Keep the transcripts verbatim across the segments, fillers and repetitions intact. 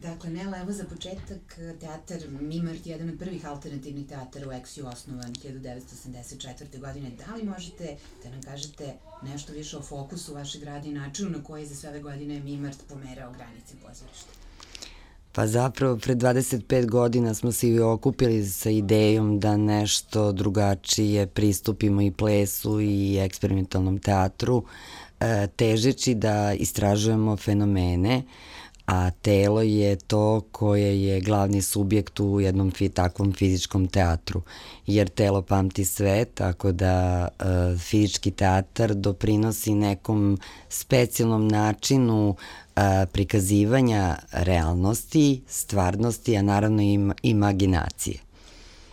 Dakle, Nela, evo za početak, teatar Mimart je jedan od prvih alternativnih teatara u Eksiju, osnovan hiljadu devetsto osamdeset četvrte. godine. Da li možete da nam kažete nešto više o fokusu vašeg rada i načinu na koji za sve ove godine Mimart pomerao granice pozorišta? Pa zapravo, pre dvadeset pet godina smo se i okupili sa idejom da nešto drugačije pristupimo i plesu i eksperimentalnom teatru, težeći da istražujemo fenomene, a telo je to koje je glavni subjekt u jednom fi, takvom fizičkom teatru, jer telo pamti sve, tako da e, fizički teatar doprinosi nekom specijalnom načinu e, prikazivanja realnosti, stvarnosti, a naravno i imaginacije.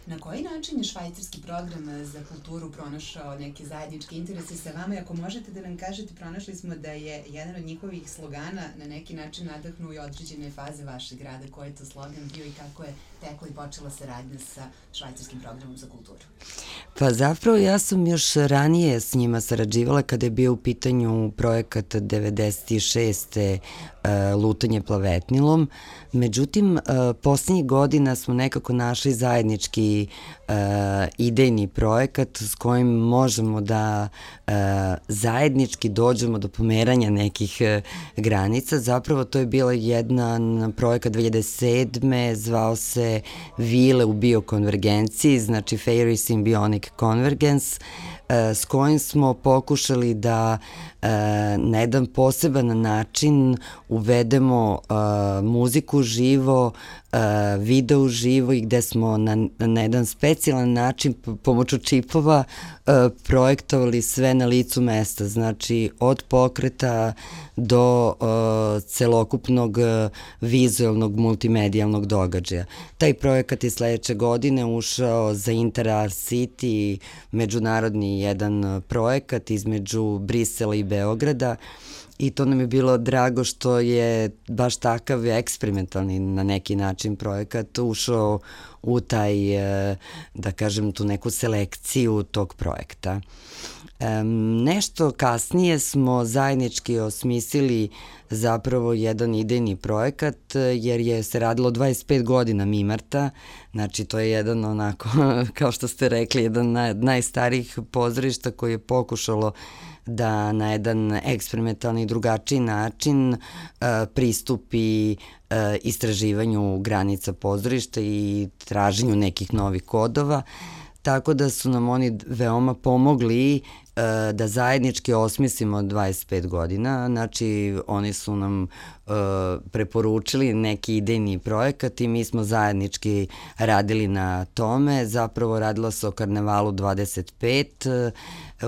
Na koji način je švajcarski program za kulturu pronašao neke zajedničke interese sa vama? I ako možete da nam kažete, pronašli smo da je jedan od njihovih slogana na neki način nadahnuo i određene faze vašeg rada. Koji je to slogan bio i kako je tekla i počela saradnja sa švajcarskim programom za kulturu? Pa zapravo ja sam još ranije s njima sarađivala kada je bio u pitanju projekat devedeset šeste. Lutanje plavetnilom. Međutim, poslednjih godina smo nekako našli zajednički idejni projekat s kojim možemo da zajednički dođemo do pomeranja nekih granica. Zapravo to je bila jedan projekat dve hiljade sedme. zvao se Vile u biokonvergenciji, znači Fairy Symbionic Convergence, s kojim smo pokušali da na jedan poseban način uvedemo muziku živo, video živo i gde smo na, na jedan specijalan način pomoću čipova projektovali sve na licu mesta, znači od pokreta do celokupnog vizualnog multimedijalnog događaja. Taj projekat je sledeće godine ušao za Interart City, međunarodni jedan projekat između Brisela i Beograda, i to nam je bilo drago što je baš takav eksperimentalni na neki način projekat ušao u taj, da kažem, tu neku selekciju tog projekta. Nešto kasnije smo zajednički osmislili zapravo jedan idejni projekat, jer je se radilo dvadeset pet godina Mimarta, znači to je jedan onako, kao što ste rekli, jedan od najstarijih pozorišta koji je pokušalo da na jedan eksperimentalni i drugačiji način uh, pristupi uh, istraživanju granica pozorišta i traženju nekih novih kodova, tako da su nam oni veoma pomogli uh, da zajednički osmislimo dvadeset pet godina, znači oni su nam uh, preporučili neki idejni projekat i mi smo zajednički radili na tome. Zapravo radilo se o Karnevalu dvadeset pet, uh,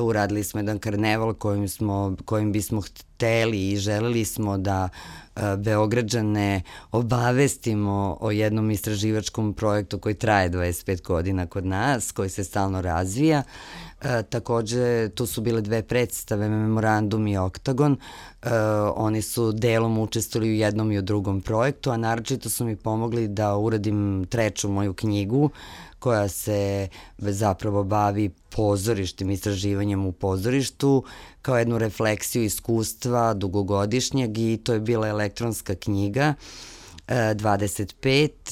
uradili smo jedan karneval kojim, smo, kojim bismo hteli i želeli smo da Beograđane obavestimo o jednom istraživačkom projektu koji traje dvadeset pet godina kod nas, koji se stalno razvija. E, takođe, tu su bile dve predstave, Memorandum i Oktagon. E, oni su delom učestvovali u jednom i u drugom projektu, a naročito su mi pomogli da uradim treću moju knjigu, koja se zapravo bavi pozorištem, istraživanjem u pozorištu, kao jednu refleksiju iskustva dugogodišnjeg, i to je bila elektronska knjiga, dvadeset pet,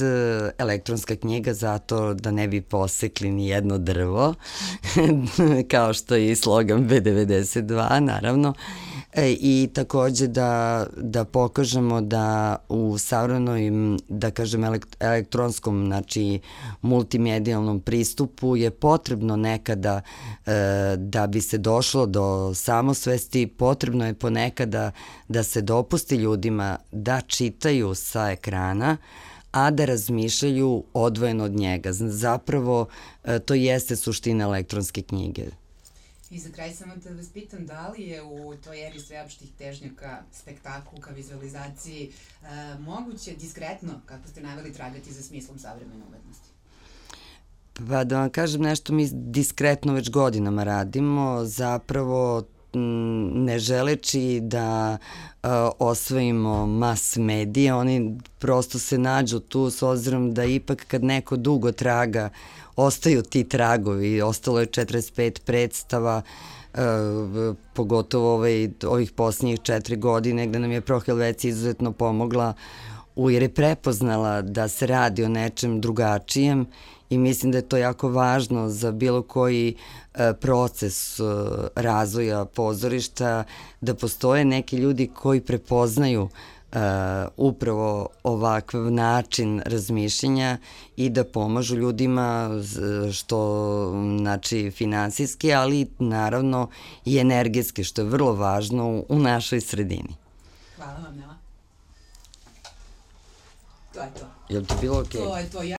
elektronska knjiga zato da ne bi posekli ni jedno drvo, kao što je i slogan B devedeset dva, naravno. E, i takođe da, da pokažemo da u savremenom, da kažem, elektronskom, znači multimedijalnom pristupu je potrebno nekada e, da bi se došlo do samosvesti, potrebno je ponekada da se dopusti ljudima da čitaju sa ekrana, a da razmišljaju odvojeno od njega. Zapravo, e, to jeste suština elektronske knjige. I za kraj samo da vas pitam, da li je u toj eri sveopštih težnjaka, spektaklu ka vizualizaciji e, moguće diskretno, kako ste naveli, tragati za smislom savremene umetnosti? Pa da vam kažem nešto, mi diskretno već godinama radimo, zapravo ne želeći da uh, osvojimo mas medije, oni prosto se nađu tu s obzirom da ipak kad neko dugo traga, ostaju ti tragovi. Ostalo je četrdeset pet predstava, uh, pogotovo ovaj, ovih posljednjih četiri godine, gde nam je Pro Helvecija izuzetno pomogla jer je prepoznala da se radi o nečem drugačijem i mislim da je to jako važno za bilo koji proces razvoja pozorišta, da postoje neki ljudi koji prepoznaju upravo ovakav način razmišljanja i da pomažu ljudima što znači finansijski, ali naravno i energetski, što je vrlo važno u našoj sredini. Hvala vam, Nela. To je to. Je li to bilo okej? To je to.